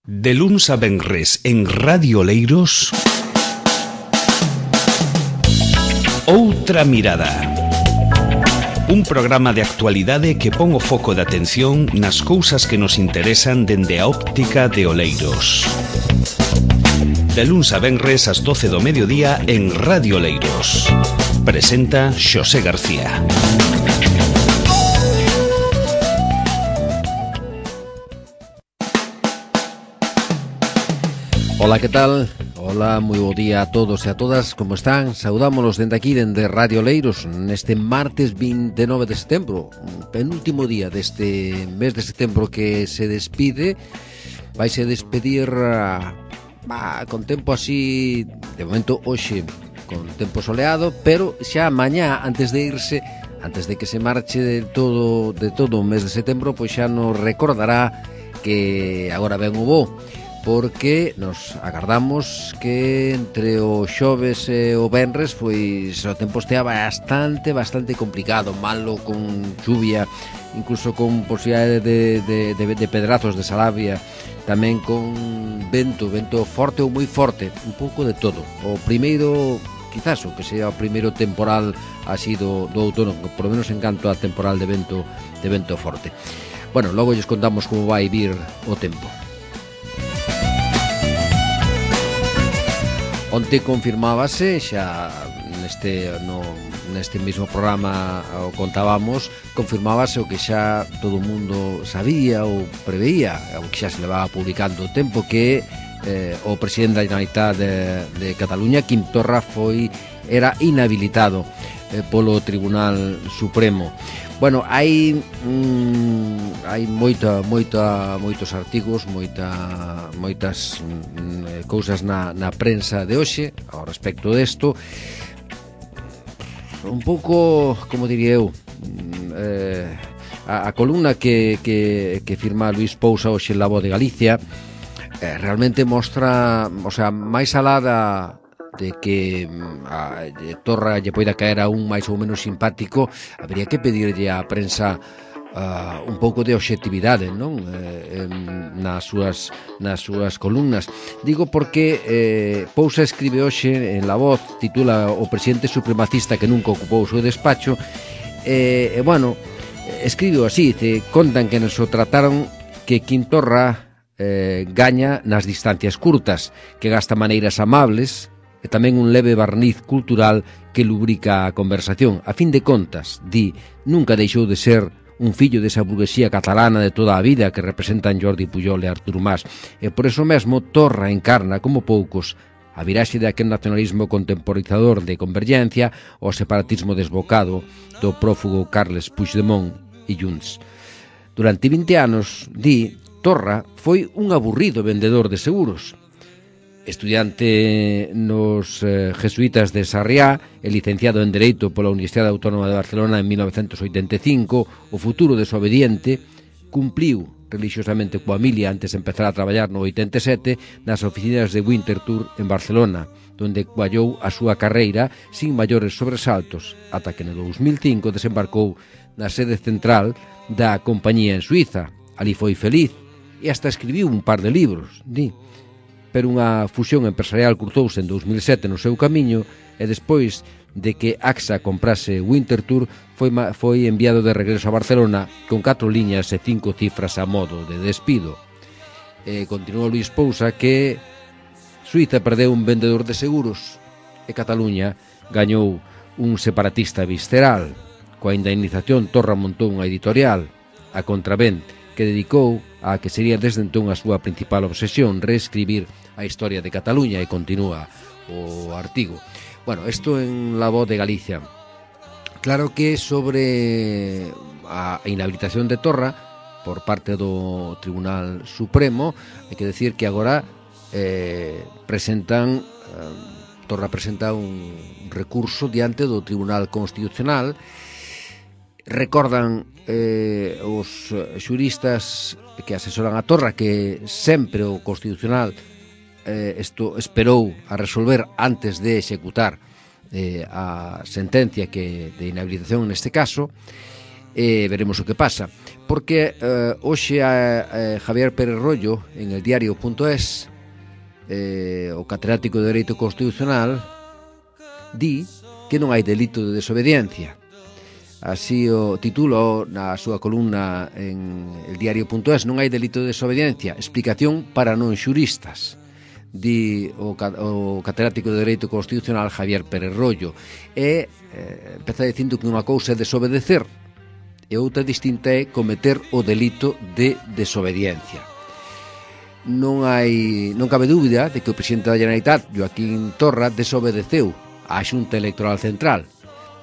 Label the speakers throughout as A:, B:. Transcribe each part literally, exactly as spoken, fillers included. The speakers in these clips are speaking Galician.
A: De luns a venres en Radio Oleiros, Outra Mirada. Un programa de actualidade que pon o foco de atención nas cousas que nos interesan dende a óptica de Oleiros. De luns a venres ás doce do mediodía en Radio Oleiros. Presenta Xosé García.
B: Ola, que tal? Ola, moi bo día a todos e a todas, como están? Saudámonos dende aquí, dende Radio Oleiros, neste martes vinte e nove de setembro, un penúltimo día deste mes de setembro que se despide. Vaise despedir bah, con tempo así, de momento hoxe, con tempo soleado, pero xa mañá, antes de irse, antes de que se marche de todo, de todo o mes de setembro, pois xa nos recordará que agora ven o bo, porque nos agardamos que entre o xoves e o venres pois o tempo estea bastante, bastante complicado, malo, con chuvia, incluso con posibilidade de, de, de, de pedrazos de salavia, tamén con vento, vento forte ou moi forte, un pouco de todo. O primeiro, quizás o que sea o primeiro temporal así do, do outono, por lo menos en canto a temporal de vento, de vento forte. Bueno, logo lles contamos como vai vir o tempo. Onte confirmábase, xa neste, no, neste mesmo programa o contábamos, confirmábase o que xa todo o mundo sabía ou preveía, o que xa se levaba publicando o tempo, que eh, o presidente da Generalitat de, de Cataluña, Quim Torra, foi, era inhabilitado eh, polo Tribunal Supremo. Bueno, hai mm, hai moita, moita, moitos artigos, moita, moitas mm, cousas na, na prensa de hoxe ao respecto desto. Un pouco, como diría eu, eh, a, a columna que, que, que firma Luís Pousa hoxe en La Voz de Galicia eh, realmente mostra, o sea, máis alá da de que a Torra lle poida caer a un máis ou menos simpático, habería que pedirlle á prensa uh, un pouco de obxectividade, non? Eh, nas súas nas súas columnas. Digo porque eh, Pousa escribe hoxe en La Voz, titula O presidente supremacista que nunca ocupou o seu despacho, e, eh, eh, bueno, escribe así, dice, contan que nos o trataron que Quim Torra eh, gaña nas distancias curtas, que gasta maneiras amables, e tamén un leve barniz cultural que lubrica a conversación. A fin de contas, di, nunca deixou de ser un fillo desa burguesía catalana de toda a vida que representan Jordi Pujol e Artur Mas, e por eso mesmo Torra encarna, como poucos, a viraxe de aquel nacionalismo contemporizador de Convergencia ao separatismo desbocado do prófugo Carles Puigdemont e Junts. Durante vinte anos, di, Torra foi un aburrido vendedor de seguros. Estudiante nos eh, jesuítas de Sarriá e licenciado en Dereito pola Universidade Autónoma de Barcelona en mil novecentos oitenta e cinco, o futuro desobediente cumpliu religiosamente coa milia antes de empezar a traballar no oitenta e sete nas oficinas de Winterthur en Barcelona, donde cuallou a súa carreira sin maiores sobresaltos, ata que no dous mil cinco desembarcou na sede central da compañía en Suiza. Ali foi feliz e hasta escribiu un par de libros, di. Pero unha fusión empresarial cruzouse en dous mil sete no seu camiño e despois de que A X A comprase Winterthur foi, foi enviado de regreso a Barcelona con catro liñas e cinco cifras a modo de despido. E continuou Luís Pousa que Suiza perdeu un vendedor de seguros e Cataluña gañou un separatista visceral. Coa indemnización Torra montou unha editorial, a Contravent, que dedicou a que sería desde entón a súa principal obsesión, reescribir a historia de Cataluña, e continúa o artigo. Bueno, isto en La Voz de Galicia. Claro que sobre a inhabilitación de Torra por parte do Tribunal Supremo, hai que decir que agora eh, presentan eh, Torra presenta un recurso diante do Tribunal Constitucional. Recordan eh, os xuristas que asesoran a Torra que sempre o Constitucional eh, isto esperou a resolver antes de executar eh, a sentencia que de inhabilitación neste caso, e veremos o que pasa, porque eh, hoxe a, a Javier Pérez Royo en el diario punto es, eh, o catedrático de Dereito Constitucional, di que non hai delito de desobediencia. Así o titulo na súa columna en el diario punto es: non hai delito de desobediencia, explicación para non xuristas, di o, o catedrático de Dereito Constitucional Javier Pérez Royo. E eh, empeza dicindo que unha cousa é desobedecer e outra distinta é cometer o delito de desobediencia. Non hai non cabe dúbida de que o presidente da Generalitat, Joaquín Torra, desobedeceu á Xunta Electoral Central,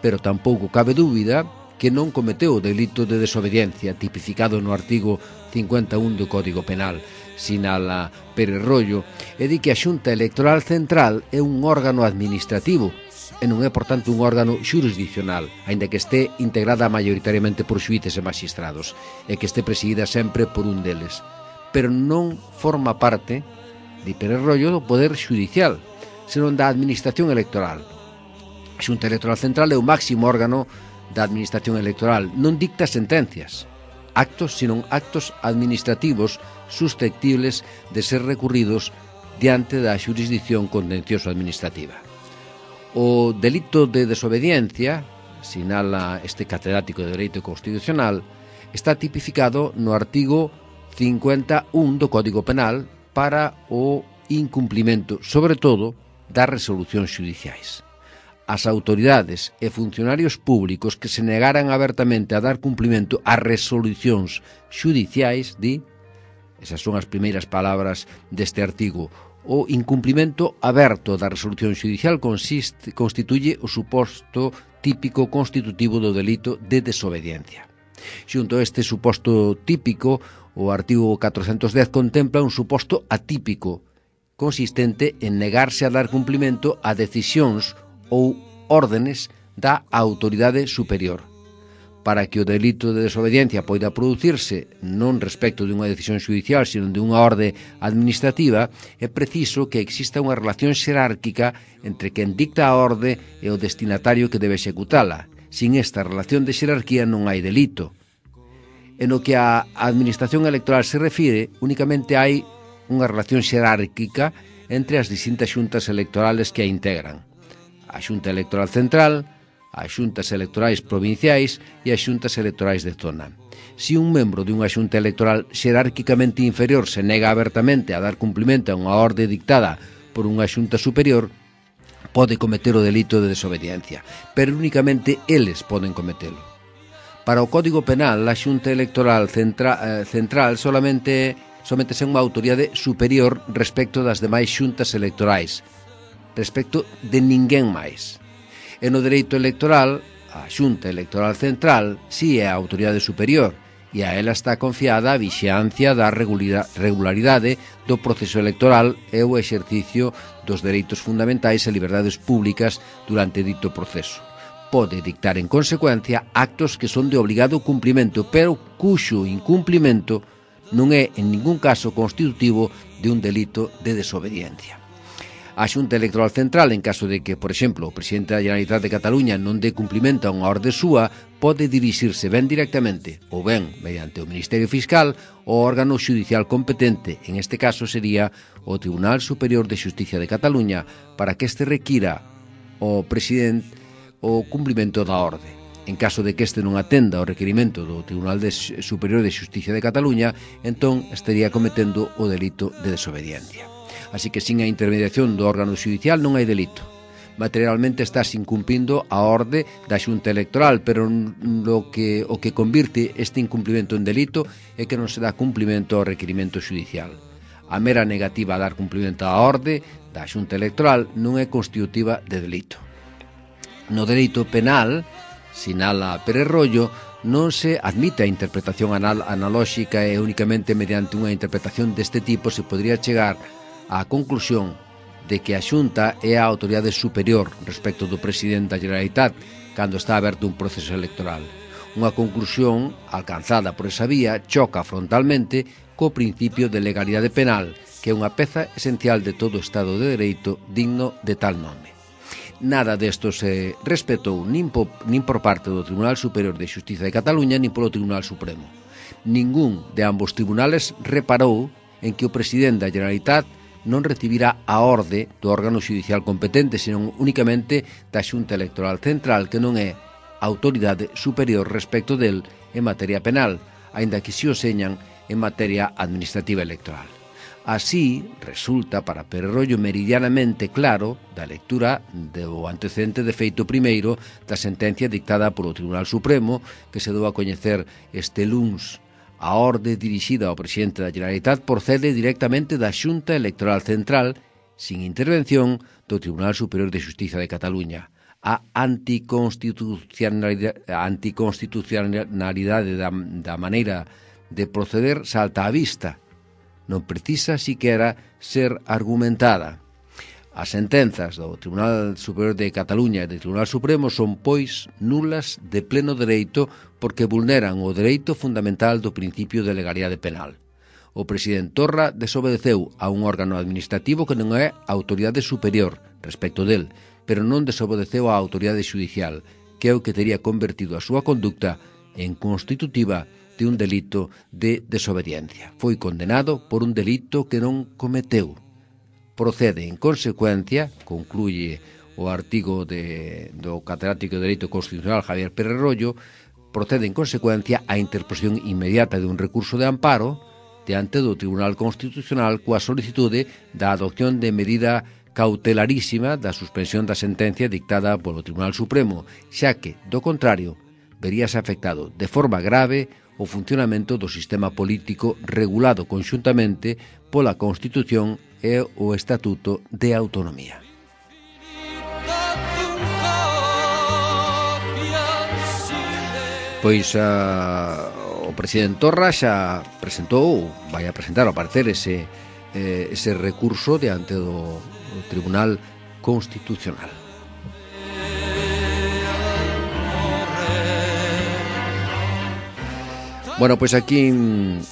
B: pero tampouco cabe dúbida que non cometeu o delito de desobediencia tipificado no artigo cincuenta e un do Código Penal, sinala Pérez Royo, e di que a Xunta Electoral Central é un órgano administrativo e non é, por tanto, un órgano xurisdiccional, aínda que este integrada maioritariamente por xuíces e magistrados, e que este presidida sempre por un deles. Pero non forma parte, di Pérez Royo, do Poder Xudicial, senón da Administración Electoral. A Xunta Electoral Central é o máximo órgano da Administración Electoral, non dicta sentencias, actos, senón actos administrativos susceptibles de ser recurridos diante da xurisdicción contencioso-administrativa. O delito de desobediencia, sinala este catedrático de Dereito Constitucional, está tipificado no artigo cincuenta e un do Código Penal para o incumplimento, sobre todo, das resolucións xudiciais. As autoridades e funcionarios públicos que se negaran abertamente a dar cumplimento ás resolucións xudiciais, di, esas son as primeiras palabras deste artigo, o incumplimento aberto da resolución xudicial consiste, constituye o suposto típico constitutivo do delito de desobediencia. Xunto a este suposto típico, o artigo catrocentos dez contempla un suposto atípico, consistente en negarse a dar cumplimento a decisións ou órdenes da autoridade superior. Para que o delito de desobediencia poida producirse non respecto de unha decisión xudicial, sino de unha orde administrativa, é preciso que exista unha relación xerárquica entre quen dicta a orde e o destinatario que debe executala. Sin esta relación de xerarquía non hai delito. En o que a administración electoral se refire, únicamente hai unha relación xerárquica entre as distintas xuntas electorales que a integran: a Xunta Electoral Central, as xuntas electorais provinciais e as xuntas electorais de zona. Si un membro de unha xunta electoral xerárquicamente inferior se nega abertamente a dar cumprimento a unha orde dictada por unha xunta superior, pode cometer o delito de desobediencia, pero únicamente eles poden cometelo. Para o Código Penal, a Xunta Electoral Centra, eh, Central solamente sométese a unha autoridade superior respecto das demais xuntas electorais, respecto de ninguén máis. E no dereito electoral, a Xunta Electoral Central si é a autoridade superior e a ela está confiada a vixiancia da regularidade do proceso electoral e o exercicio dos dereitos fundamentais e liberdades públicas durante dito proceso. Pode dictar en consecuencia actos que son de obligado cumprimento, pero cuxo incumplimento non é en ningún caso constitutivo de un delito de desobediencia. A Xunta Electoral Central, en caso de que, por exemplo, o presidente da Generalitat de Cataluña non dé cumprimento a unha orde súa, pode dirixirse ben directamente, ou ben mediante o Ministerio Fiscal, o órgano xudicial competente, en este caso sería o Tribunal Superior de Xusticia de Cataluña, para que este requira ao presidente o cumprimento da orde. En caso de que este non atenda ao requirimento do Tribunal de Superior de Xusticia de Cataluña, entón estaría cometendo o delito de desobediencia. Así que sin a intermediación do órgano xudicial non hai delito. Materialmente estás incumplindo a orde da Xunta Electoral, pero lo que, o que convirte este incumplimento en delito é que non se dá cumplimento ao requirimento xudicial. A mera negativa a dar cumplimento á orde da Xunta Electoral non é constitutiva de delito. No dereito penal, sinala Pérez Royo, non se admite a interpretación anal analóxica e únicamente mediante unha interpretación deste tipo se podría chegar á conclusión de que a Xunta é a autoridade superior respecto do presidente da Generalitat cando está aberto un proceso electoral. Unha conclusión alcanzada por esa vía choca frontalmente co principio de legalidade penal, que é unha peza esencial de todo Estado de Dereito digno de tal nome. nada desto se respetou nin, po, nin por parte do Tribunal Superior de Xustiza de Cataluña nin polo Tribunal Supremo. Ningún de ambos tribunales reparou en que o presidente da Generalitat non recibirá a orde do órgano xudicial competente, senón únicamente da Xunta Electoral Central, que non é autoridade superior respecto del en materia penal, aínda que si o señan en materia administrativa electoral. Así, resulta para Pererollo meridianamente claro da lectura do antecedente de feito primeiro da sentencia dictada polo Tribunal Supremo, que se dou a coñecer este luns. A orde dirixida ao presidente da Generalitat procede directamente da Xunta Electoral Central, sin intervención do Tribunal Superior de Xustiza de Cataluña. A anticonstitucionalidade, a anticonstitucionalidade da, da maneira de proceder salta á vista. Non precisa siquera ser argumentada. As sentenzas do Tribunal Superior de Cataluña e do Tribunal Supremo son, pois, nulas de pleno dereito porque vulneran o dereito fundamental do principio de legalidade penal. O presidente Torra desobedeceu a un órgano administrativo que non é autoridade superior respecto del, pero non desobedeceu á autoridade xudicial, que é o que teria convertido a súa conducta en constitutiva de un delito de desobediencia. Foi condenado por un delito que non cometeu. Procede, en consecuencia, concluye o artigo de, do catedrático de Dereito Constitucional Javier Pererollo, procede, en consecuencia, a interposición inmediata de un recurso de amparo diante do Tribunal Constitucional coa solicitude da adopción de medida cautelarísima da suspensión da sentencia dictada polo Tribunal Supremo, xa que, do contrario, veríase afectado de forma grave o funcionamento do sistema político regulado conxuntamente pola Constitución e o Estatuto de Autonomía. Pois a, o presidente Torra xa presentou, vai a presentar ao parecer ese, eh, ese recurso diante do, do Tribunal Constitucional. Bueno, pois aquí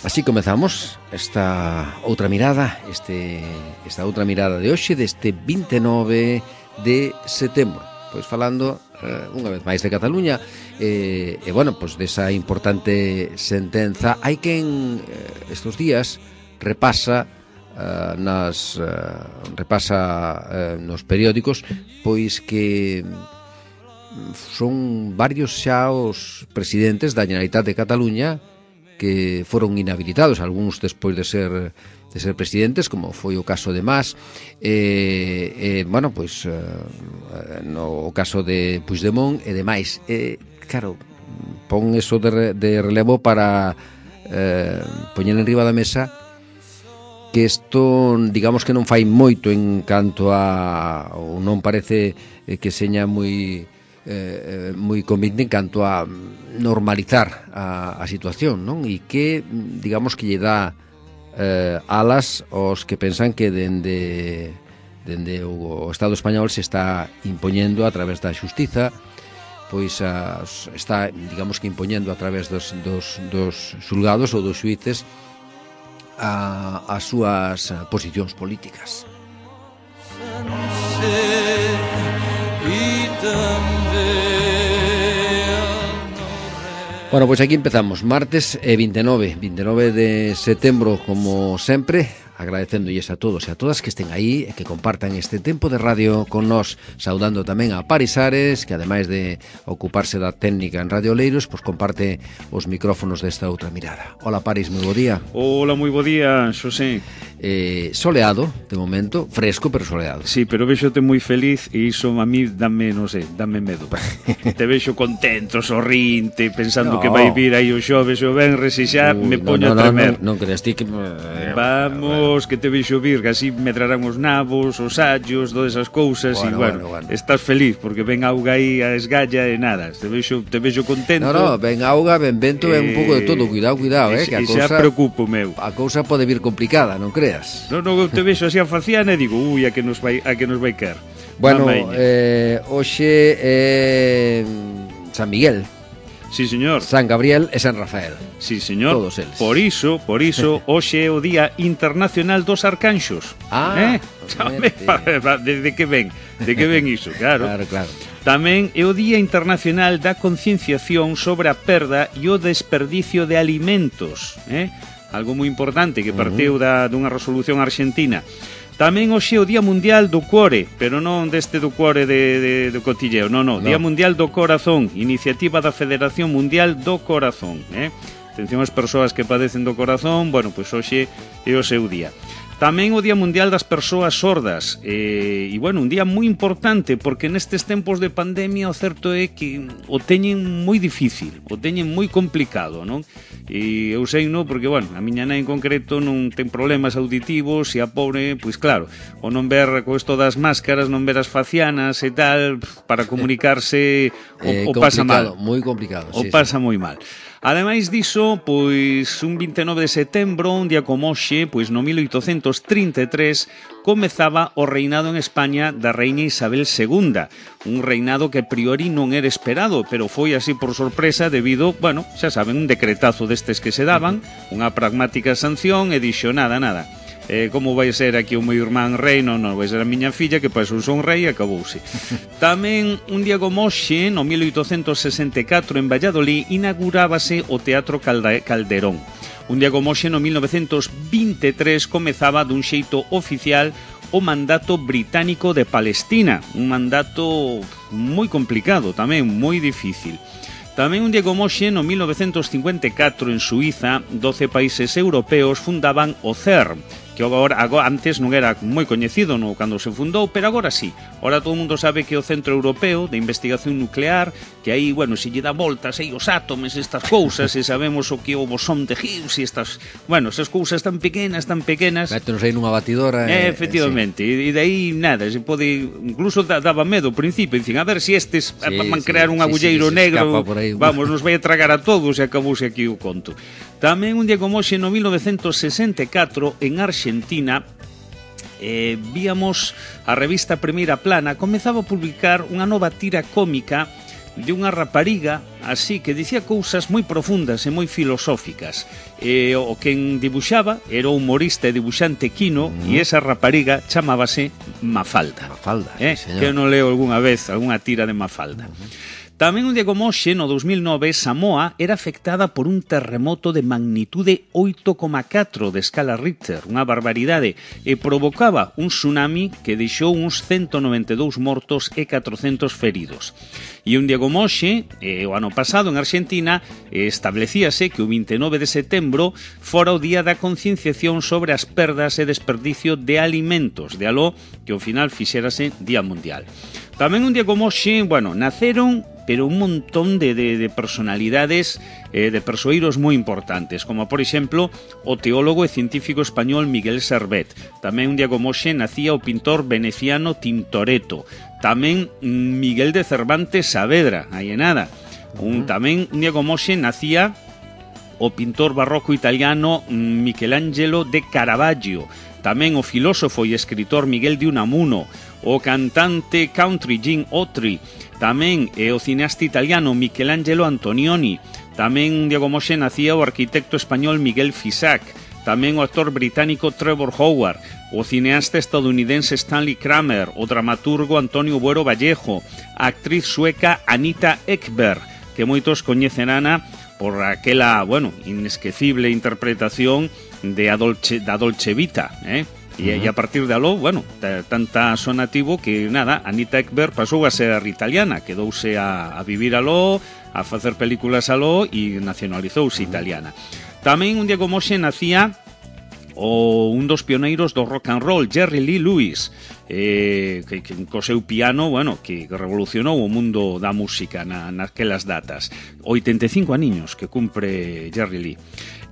B: así comezamos esta outra mirada, este esta outra mirada de hoxe deste vinte e nove de setembro. Pois falando eh, unha vez máis de Cataluña eh, e bueno, pois desa importante sentenza. Hai quen eh, estes días repasa eh, nas eh, repasa eh, nos periódicos pois que son varios xa os presidentes da Generalitat de Cataluña que foron inhabilitados, algúns despois de ser de ser presidentes, como foi o caso de Mas, e, eh, bueno, pois eh, no o caso de Puigdemont e demais. Eh, claro, pon eso de, de relevo para eh, poñer en riba da mesa que isto, digamos que non fai moito en canto a, ou non parece que seña moi Eh, moi convinte en canto a normalizar a, a situación, non? E que, digamos, que lle dá eh, alas aos que pensan que dende, dende o Estado español se está impoñendo a través da xustiza, pois as, está, digamos que impoñendo a través dos, dos, dos xulgados ou dos xuíces a, as súas posicións políticas. Bueno, pois aquí empezamos, martes e vinte e nove de setembro, como sempre, agradecéndolles a todos e a todas que estén aí e que compartan este tempo de radio con nós, saudando tamén a Paris Ares, que ademais de ocuparse da técnica en Radio Oleiros, pois comparte os micrófonos desta outra mirada. Hola Paris, moi bo día.
C: Hola, moi bo día, Xosé.
B: Eh, soleado, de momento, fresco pero soleado.
C: Sí, pero vexote moi feliz e iso a mí dame, non sei, dame medo. Te vexo contento, sorrinte, pensando no. que vai vir aí o xoves e o venres e xa Uy, me poño no, no, a tremer.
B: Non, non, non creas ti que...
C: Vamos, que te vexo vir, que así medrarán os nabos, os allos, todas esas cousas bueno, e, bueno, bueno, bueno, estás feliz porque ven auga aí a esgalla e nada, te vexo, te vexo contento.
B: No, no, ven auga, ven vento, eh, ven un pouco de todo, cuidado, cuidado, eh, que a cousa...
C: xa preocupo, meu.
B: A cousa pode vir complicada, non creas?
C: Non, non, te vexo así a faciana e digo, ui, a que nos vai, a que nos vai quer.
B: Bueno, eh, hoxe é eh, San Miguel.
C: Sí, señor.
B: San Gabriel e San Rafael.
C: Sí, señor.
B: Todos eles.
C: Por iso, por iso, hoxe é o Día Internacional dos Arcanxos.
B: Ah,
C: eh? De que ven? De que ven iso? Claro.
B: Claro, claro.
C: Tamén é o Día Internacional da Concienciación sobre a perda e o desperdicio de alimentos, eh? Algo moi importante que partiu da, dunha resolución argentina. Tamén hoxe é o Día Mundial do Cuore, pero non deste do cuore de, de, do cotilleo, non, non, no. Día Mundial do Corazón, iniciativa da Federación Mundial do Corazón, eh? Atención ás persoas que padecen do corazón, bueno, pois hoxe é o seu día. Tamén o Día Mundial das Persoas Sordas eh, e, bueno, un día moi importante porque nestes tempos de pandemia o certo é que o teñen moi difícil, o teñen moi complicado, non? E eu sei, non, porque, bueno, a miña nai en concreto non ten problemas auditivos e a pobre, pois claro, o non ver co isto das máscaras, non ver as facianas e tal, para comunicarse o, eh, o pasa mal.
B: Moi complicado,
C: o
B: sí,
C: pasa
B: sí.
C: moi mal. Ademais diso, pois un vinte e nove de setembro, un día como hoxe, pois no mil oitocentos trinta e tres, comezaba o reinado en España da reina Isabel segunda, un reinado que a priori non era esperado, pero foi así por sorpresa debido, bueno, xa saben, un decretazo destes que se daban, unha pragmática sanción e dixo nada, nada. Eh, como vai ser aquí o meu irmán rei, non, non, vai ser a miña filla, que pois un son rei e acabouse. Tamén, un día como hoxe, no mil oitocentos sesenta e catro, en Valladolid, inaugurábase o Teatro Calderón. Un día como hoxe, no mil novecentos vinte e tres, comezaba dun xeito oficial o mandato británico de Palestina, un mandato moi complicado, tamén moi difícil. Tamén un día como hoxe, no mil novecentos cincuenta e catro, en Suiza, doce países europeos fundaban o CERN, que agora, agora antes non era moi coñecido no cando se fundou, pero agora sí. Ahora todo o mundo sabe que é o Centro Europeo de Investigación Nuclear, que aí, bueno, se lle dá voltas aí os átomos, estas cousas, e sabemos o que é o bosón de Higgs e estas, bueno, esas cousas tan pequenas, tan pequenas.
B: Métenos aí nunha batidora.
C: Eh, efectivamente, sí. E de aí nada, se pode, incluso daba medo ao principio, dicen, a ver se si estes sí, van crear sí, un agulleiro sí, sí, negro, vamos, nos vai a tragar a todos e acabouse aquí o conto. Tamén un día como hoxe, no mil novecentos sesenta e catro, en Argentina, eh, víamos a revista Primeira Plana, comezaba a publicar unha nova tira cómica de unha rapariga así que dicía cousas moi profundas e moi filosóficas. E o quen dibuxaba era o humorista e dibuxante Quino, uh -huh. e esa rapariga chamábase Mafalda.
B: Mafalda,
C: eh?
B: sí, señor.
C: Que eu non leo algunha vez algunha tira de Mafalda. Uh -huh. Tamén un día como hoxe, no dos mil nove, Samoa era afectada por un terremoto de magnitude oito coma catro de escala Richter, unha barbaridade, e provocaba un tsunami que deixou uns ciento noventa e dous mortos e catrocentos feridos. E un día como hoxe, eh, o ano pasado en Argentina, eh, establecíase que o vinte e nove de setembro fora o día da concienciación sobre as perdas e desperdicio de alimentos, de aló que ao final fixérase Día Mundial. Tamén un día como hoxe, bueno, naceron pero un montón de, de, de personalidades, eh, de persoeiros moi importantes, como por exemplo o teólogo e científico español Miguel Servet. Tamén un día como hoxe nacía o pintor veneciano Tintoretto. Tamén Miguel de Cervantes Saavedra, aí en nada. Un, tamén un día como hoxe nacía o pintor barroco italiano Michelangelo de Caravaggio. Tamén o filósofo e escritor Miguel de Unamuno, o cantante country Gene Autry, tamén é o cineasta italiano Michelangelo Antonioni, tamén un día como hoxe nacía o arquitecto español Miguel Fisac, tamén o actor británico Trevor Howard, o cineasta estadounidense Stanley Kramer, o dramaturgo Antonio Buero Vallejo, a actriz sueca Anita Ekberg, que moitos coñecerán por aquela, bueno, inesquecible interpretación de a Dolce, da Dolce Vita, eh? E, e a partir de aló, bueno, tanta sonativo que, nada, Anita Ekberg pasou a ser italiana, quedouse a, a vivir aló, a facer películas aló e nacionalizouse italiana. Tamén un día como hoxe nacía o un dos pioneiros do rock and roll, Jerry Lee Lewis, eh, que, que co seu piano, bueno, que revolucionou o mundo da música na, naquelas datas. oitenta e cinco aniños que cumpre Jerry Lee.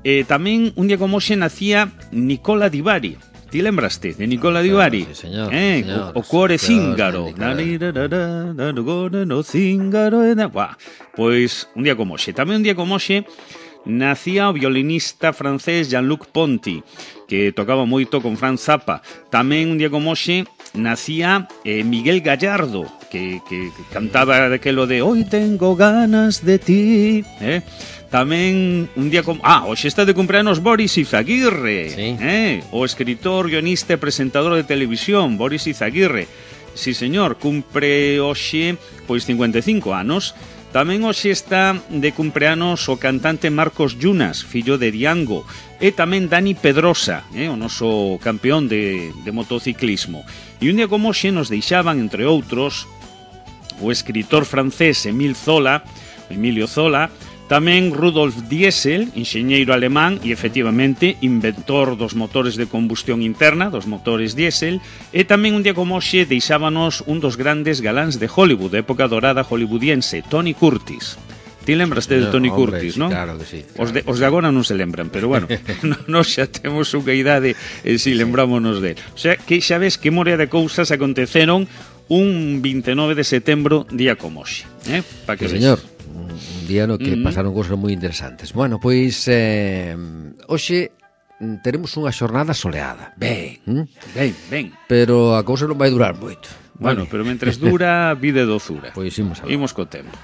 C: Eh, tamén un día como hoxe nacía Nicola Di Bari. Ti lembraste de Nicola Di Bari?
B: Sí, señor,
C: eh,
B: señor,
C: o, o cuore
B: señor,
C: cíngaro. No cíngaro. Pois un día como hoxe. Tamén un día como hoxe nacía o violinista francés Jean-Luc Ponty, que tocaba moito con Franz Zappa. Tamén un día como hoxe nacía eh, Miguel Gallardo, que, que, que cantaba aquelo de Hoy tengo ganas de ti, eh? Tamén un día como... Ah, hoxe está de cumpleanos Boris Izaguirre,
B: sí.
C: eh? O escritor, guionista e presentador de televisión, Boris Izaguirre. Sí, señor, cumpre hoxe pois cincuenta e cinco anos. Tamén hoxe está de cumpleanos o cantante Marcos Yunas, fillo de Diango, e tamén Dani Pedrosa, eh, o noso campeón de, de motociclismo. E un día como hoxe nos deixaban, entre outros, o escritor francés Emile Zola, Emilio Zola, tamén Rudolf Diesel, enxeñeiro alemán e efectivamente inventor dos motores de combustión interna, dos motores diésel, e tamén un día como hoxe deixábanos un dos grandes galáns de Hollywood, de época dorada hollywoodiense, Tony Curtis. Ti lembraste de Tony
B: Hombre,
C: Curtis,
B: sí,
C: non?
B: Claro que sí. Claro
C: os, de,
B: que
C: os
B: sí.
C: de agora non se lembran, pero bueno, nós xa temos unha idade e si lembrámonos de. O sea, que xa ves que morea de cousas aconteceron un vinte e nove de setembro, día como hoxe, eh? Pa que
B: Sí,
C: ves.
B: señor. Un día no que
C: Mm.
B: pasaron cousas moi interesantes. Bueno, pois eh, hoxe teremos unha xornada soleada.
C: Ben,
B: ¿Mm?
C: ben, ben.
B: Pero a cousa non vai durar moito.
C: Bueno,
B: Vale.
C: pero mentres dura, vida e dozura.
B: Pois imos a ver.
C: Imos co tempo.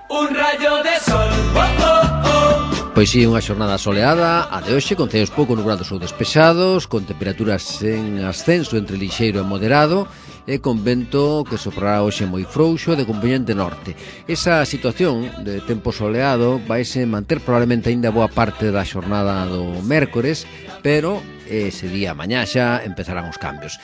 D: Un rayo de sol, oh, oh, oh.
B: Pois sí, unha xornada soleada, a de hoxe, con ceos pouco nubrados ou despexados, con temperaturas en ascenso entre lixeiro e moderado, e con vento que soprará hoxe moi frouxo de componente norte. Esa situación de tempo soleado vaise manter probablemente aínda boa parte da xornada do mércores, pero ese día mañá xa empezarán os cambios.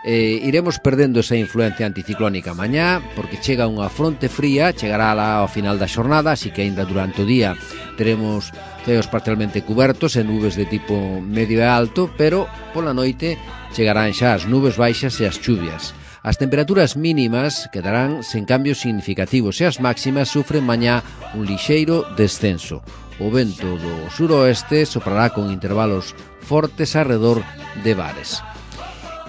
B: Eh, iremos perdendo esa influencia anticiclónica mañá, porque chega unha fronte fría, chegará lá ao final da xornada, así que aínda durante o día teremos ceos parcialmente cubertos e nubes de tipo medio e alto, pero pola noite chegarán xa as nubes baixas e as chuvias. As temperaturas mínimas quedarán sen cambios significativos e as máximas sufren mañá un lixeiro descenso. O vento do suroeste soprará con intervalos fortes arredor de bares.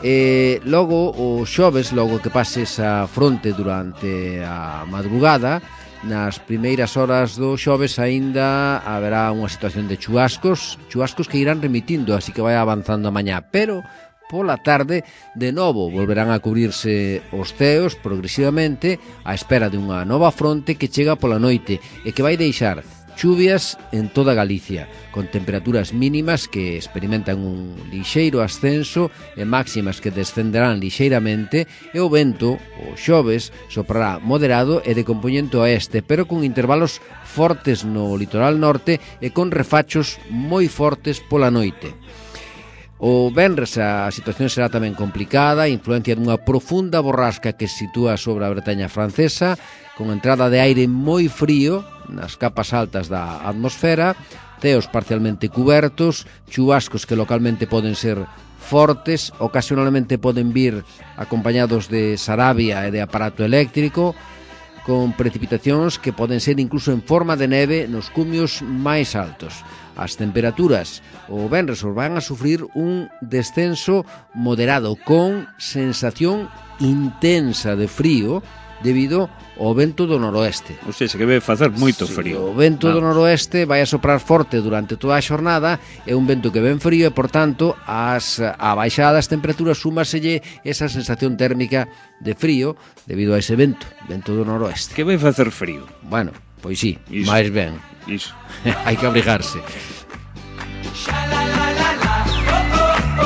B: E logo o xoves, logo que pase esa fronte durante a madrugada, nas primeiras horas do xoves aínda haberá unha situación de chuascos, chuascos que irán remitindo, así que vai avanzando a mañá, pero pola tarde de novo volverán a cubrirse os ceos progresivamente á espera de unha nova fronte que chega pola noite e que vai deixar chuvias en toda Galicia, con temperaturas mínimas que experimentan un lixeiro ascenso e máximas que descenderán lixeiramente, e o vento, o xoves, soprará moderado e de compoñente oeste, pero con intervalos fortes no litoral norte e con refachos moi fortes pola noite. O venres a situación será tamén complicada, influencia dunha profunda borrasca que se sitúa sobre a Bretaña francesa, con entrada de aire moi frío nas capas altas da atmosfera, ceos parcialmente cubertos, chubascos que localmente poden ser fortes, ocasionalmente poden vir acompañados de sarabia e de aparato eléctrico, con precipitacións que poden ser incluso en forma de neve nos cumios máis altos. As temperaturas o venres os van a sufrir un descenso moderado con sensación intensa de frío debido ao vento do noroeste.
C: O sea, que vai facer moito
B: Sí,
C: frío.
B: O vento do
C: Vamos.
B: noroeste vai a soprar forte durante toda a xornada, é un vento que ven frío e, por tanto, as, a baixada das temperaturas súmaselle esa sensación térmica de frío debido a ese vento, vento do noroeste.
C: Que vai facer frío.
B: Bueno, pois sí,
C: Iso.
B: máis ben.
C: Iso.
B: Hai que abrigarse.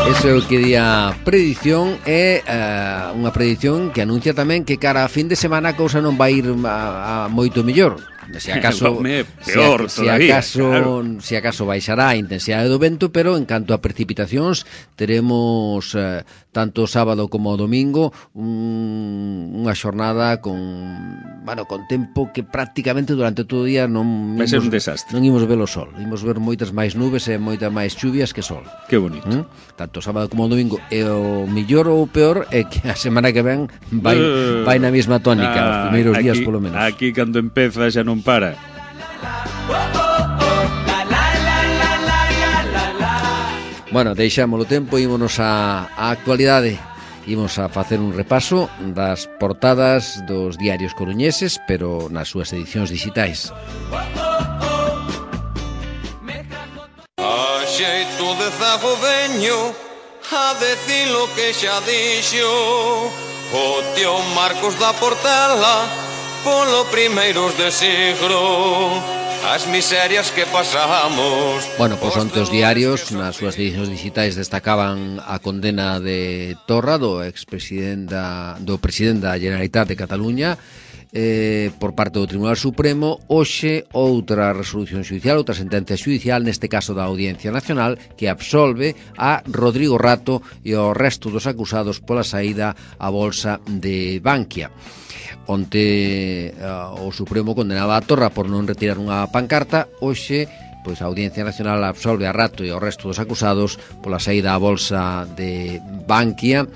B: Eso é o que di a predición é uh, unha predición que anuncia tamén que cara a fin de semana a cousa non vai ir a, a moito mellor. Se acaso
C: Home, peor
B: se,
C: todavía,
B: se acaso
C: claro.
B: se acaso baixará a intensidade do vento, pero en canto a precipitacións teremos uh, tanto o sábado como o domingo un, unha xornada con, bueno, con tempo que prácticamente durante todo o día non
C: Vai ser
B: imos-
C: un desastre.
B: non imos ver o sol, imos ver moitas máis nubes e moitas máis chuvias que sol.
C: Que bonito.
B: ¿Mm? Tanto o sábado como o domingo. E o millor ou o peor é que a semana que ven vai,
C: Eh,
B: vai na mesma tónica,
C: ah,
B: os primeiros
C: aquí,
B: días polo menos.
C: Aquí cando empeza xa non para.
B: Bueno, deixámolo tempo, ímonos á, á actualidade. Imos a facer un repaso das portadas dos diarios coruñeses, pero nas súas edicións digitais.
D: A
E: xeito de zago veño a decir lo que xa dixo o tío Marcos da Portela polo primeiros de siglo. As miserias que pasamos.
B: Bueno, pois onte os diarios nas súas edicións digitais destacaban a condena de Torra, do expresidente do presidente da Generalitat de Cataluña, eh, por parte do Tribunal Supremo. Hoxe outra resolución xudicial, outra sentencia xudicial, neste caso da Audiencia Nacional, que absolve a Rodrigo Rato e ao resto dos acusados pola saída á bolsa de Bankia. Onte uh, o Supremo condenaba a Torra por non retirar unha pancarta. Hoxe, pois a Audiencia Nacional absolve a Rato e ao resto dos acusados pola saída á bolsa de Bankia.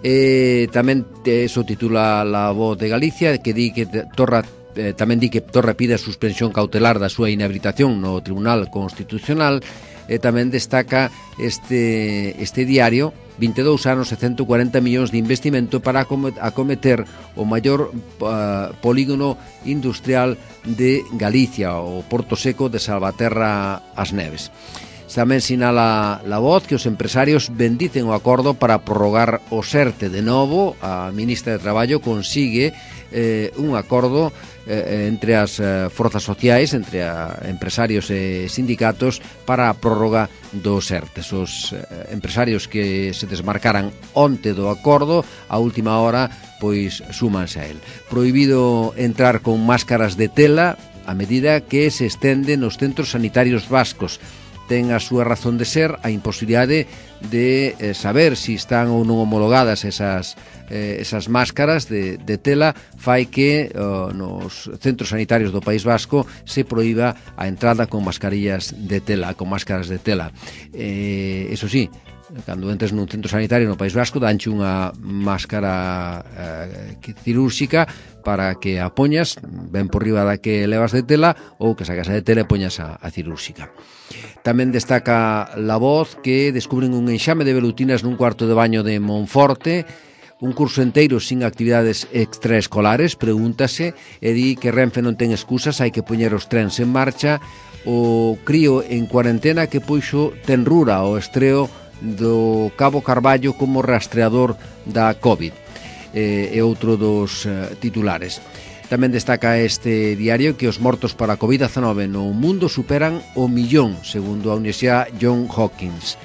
B: Eh, tamén eso titula La Voz de Galicia, que di que Torra eh, tamén di que Torra pide a suspensión cautelar da súa inhabilitación no Tribunal Constitucional. E tamén destaca este, este diario vinte e dous anos e ciento cuarenta millóns de investimento para acometer o maior uh, polígono industrial de Galicia, o Porto Seco de Salvaterra as Neves. Tamén sinala La Voz que os empresarios bendicen o acordo para prorrogar o SERTE. De novo, a ministra de Traballo consigue eh, un acordo eh, entre as eh, forzas sociais, entre a empresarios e sindicatos, para a prórroga do SERTE. Os eh, empresarios que se desmarcaran onte do acordo, a última hora, pois súmanse a él. Prohibido entrar con máscaras de tela a medida que se estende nos centros sanitarios vascos. Ten a súa razón de ser a imposibilidade de eh, saber se si están ou non homologadas esas, eh, esas máscaras de, de tela, fai que oh, nos centros sanitarios do País Vasco se proíba a entrada con mascarillas de tela, con máscaras de tela. Eh, eso sí, cando entres nun centro sanitario no País Vasco danche unha máscara eh, cirúrxica para que a poñas ben por riba da que levas de tela, ou que sacas a de tela e poñas a, a cirúrxica. Tamén destaca La Voz que descubren un enxame de velutinas nun cuarto de baño de Monforte, un curso enteiro sin actividades extraescolares, pregúntase, e di que Renfe non ten excusas, hai que poñer os trens en marcha. O crío en cuarentena que puxo tenrura ao estreo do Cabo Carballo como rastreador da COVID. Eh, é outro dos eh, titulares. Tamén destaca este diario que os mortos para a covid dezanove no mundo superan o millón, segundo a Universidade John Hopkins.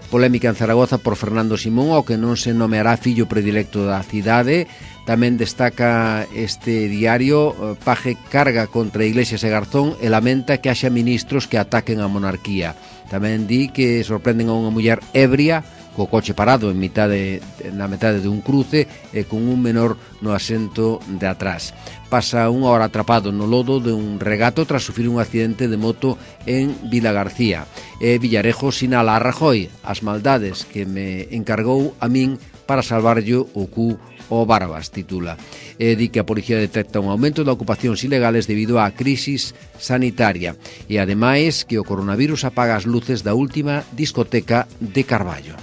B: Polémica en Zaragoza por Fernando Simón, ao que non se nomeará fillo predilecto da cidade. Tamén destaca este diario, Paje carga contra Iglesias e Garzón e lamenta que haxa ministros que ataquen a monarquía. Tamén di que sorprenden a unha muller ebria co coche parado en mitade, na metade de un cruce e con un menor no asento de atrás. Pasa unha hora atrapado no lodo de un regato tras sufrir un accidente de moto en Vila García. E Villarejo sinala a Rajoy as maldades que me encargou a min para salvarlle o cu o Barbas, titula. E di que a policía detecta un aumento de ocupacións ilegales debido á crisis sanitaria. E ademais que o coronavirus apaga as luces da última discoteca de Carballo.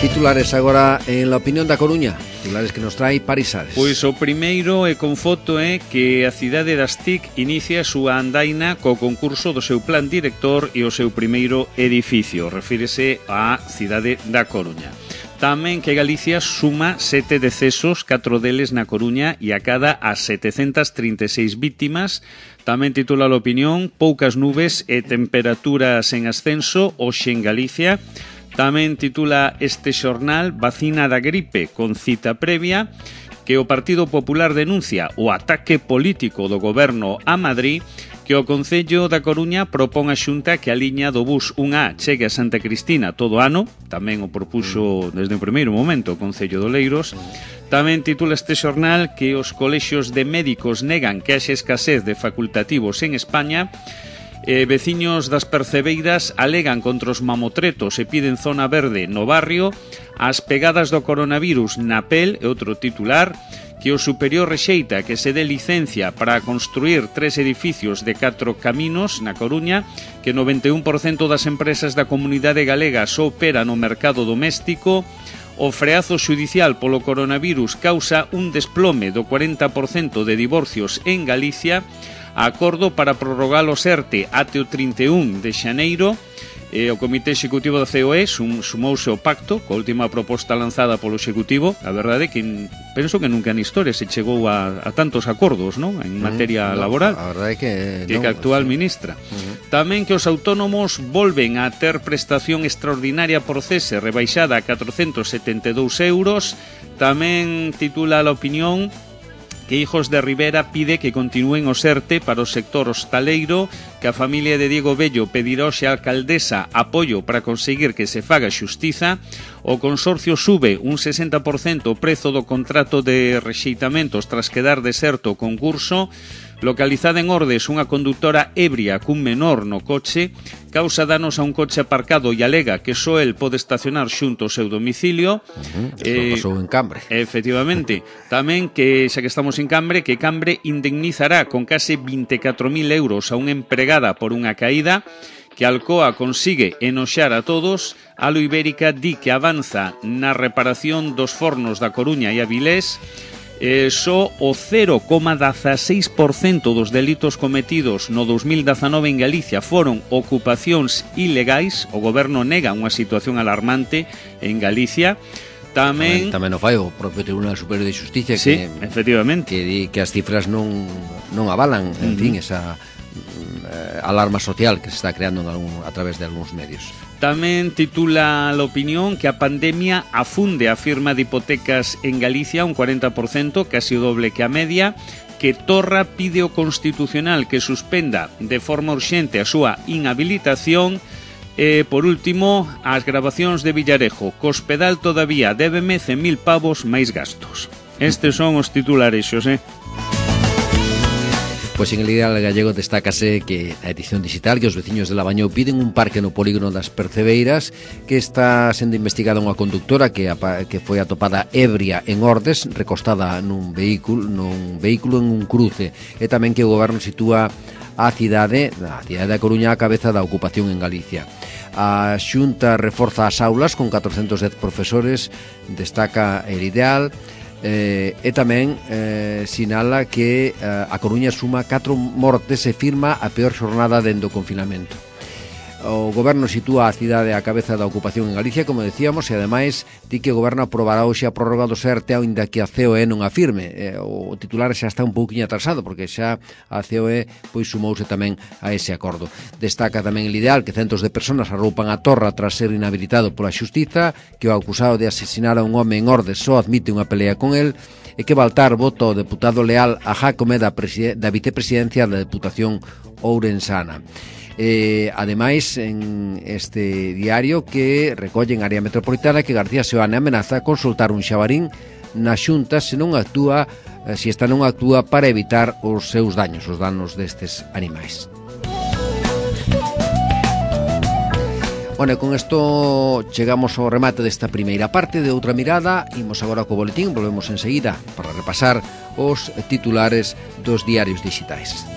B: Titulares agora en La Opinión da Coruña, titulares que nos trae Paris Ares.
C: Pois o primeiro e con foto é que a cidade das T I C inicia a súa andaina co concurso do seu plan director e o seu primeiro edificio, refírese á cidade da Coruña. Tamén que Galicia suma sete decesos, catro deles na Coruña e a cada as setecentas trinta e seis vítimas. Tamén titula a opinión, poucas nubes e temperaturas en ascenso hoxe en Galicia. Tamén titula este xornal, vacina da gripe con cita previa, que o Partido Popular denuncia o ataque político do goberno a Madrid, que o Concello da Coruña propón a Xunta que a liña do bus un A chegue a Santa Cristina todo ano, tamén o propuxo desde o primeiro momento o Concello de Oleiros. Tamén titula este xornal que os colexios de médicos negan que haxe escasez de facultativos en España. Eh, veciños das Percebeiras alegan contra os mamotretos e piden zona verde no barrio. As pegadas do coronavirus na pel é outro titular, que o superior rexeita que se dé licencia para construir tres edificios de catro caminos na Coruña, que noventa e un por cento das empresas da comunidade galega só opera no mercado doméstico. O freazo xudicial polo coronavirus causa un desplome do cuarenta por cento de divorcios en Galicia. Acordo para prorrogar o SERTE até o trinta e un de xaneiro. E o Comité Executivo da C O E sum, sumouse ao pacto coa última proposta lanzada polo Executivo. A verdade é que penso que nunca na historia se chegou a, a tantos acordos, non? En materia
B: mm, no,
C: laboral.
B: A verdade é que,
C: que,
B: non,
C: que a actual
B: sí.
C: ministra.
B: Uh-huh.
C: Tamén que os autónomos volven a ter prestación extraordinaria por cese rebaixada a catrocentos setenta e dous euros. Tamén titula a opinión que Hijos de Rivera pide que continúen o SERTE para o sector hostaleiro, que a familia de Diego Bello pedirá hoxe á alcaldesa apoio para conseguir que se faga xustiza. O consorcio sube un sesenta por cento o prezo do contrato de rexeitamentos tras quedar deserto o concurso. Localizada en Ordes, unha conductora ebria cun menor no coche causa danos a un coche aparcado e alega que só el pode estacionar xunto ao seu domicilio.
B: Uh-huh.
C: Eh,
B: pasou en Cambre.
C: Efectivamente. Tamén que, xa que estamos en Cambre, que Cambre indemnizará con case vinte e catro mil euros a unha empregada por unha caída. Que Alcoa consigue enoxar a todos. Alo Ibérica di que avanza na reparación dos fornos da Coruña e Avilés. Eh, só o cero coma dieciséis por cento dos delitos cometidos no dos mil dezanove en Galicia foron ocupacións ilegais. O goberno nega unha situación alarmante en Galicia. Tamén
B: tamén, tamén o fai o propio Tribunal Superior de Xusticia,
C: sí,
B: que
C: efectivamente,
B: que di que as cifras non non avalan, en uh-huh. fin, esa eh, alarma social que se está creando en algún, a través de algúns medios.
C: Tamén titula a opinión que a pandemia afunde a firma de hipotecas en Galicia un cuarenta por cento, casi o doble que a media. Que Torra pide ao Constitucional que suspenda de forma urxente a súa inhabilitación. E, por último, as grabacións de Villarejo. Cospedal todavía débeme cen mil pavos máis gastos. Estes son os titulares, Xosé.
B: Pois en el Ideal Gallego destácase que a edición digital que os veciños de Labañou piden un parque no polígono das Percebeiras, que está sendo investigada unha conductora que, que foi atopada ebria en Ordes, recostada nun vehículo, nun vehículo en un cruce, e tamén que o goberno sitúa a cidade, a cidade da Coruña a cabeza da ocupación en Galicia. A Xunta reforza as aulas con catrocentos dez profesores, destaca el Ideal. Eh, e tamén eh, sinala que eh, a Coruña suma catro mortes e firma a peor xornada dende o confinamento. O goberno sitúa a cidade á cabeza da ocupación en Galicia, como decíamos, e ademais di que o goberno aprobará hoxe a prórroga do SERTE aínda que a C O E non afirme. Eh, o titular xa está un pouquinho atrasado porque xa a C O E pois sumouse tamén a ese acordo. Destaca tamén el Ideal que centos de persoas arroupan a Torra tras ser inhabilitado pola xustiza, que o acusado de asesinar a un home en Ordes só admite unha pelea con el, e que Baltar vota o deputado leal a Jácome da, da vicepresidencia da Deputación ourensana. Eh, ademais, en este diario que recolle en área metropolitana que García Seoane amenaza consultar un xabarín na Xunta se non actúa, eh, se esta non actúa para evitar os seus daños, os danos destes animais. Bueno, con isto chegamos ao remate desta primeira parte de Outra Mirada. Imos agora co boletín, volvemos enseguida para repasar os titulares dos diarios digitais.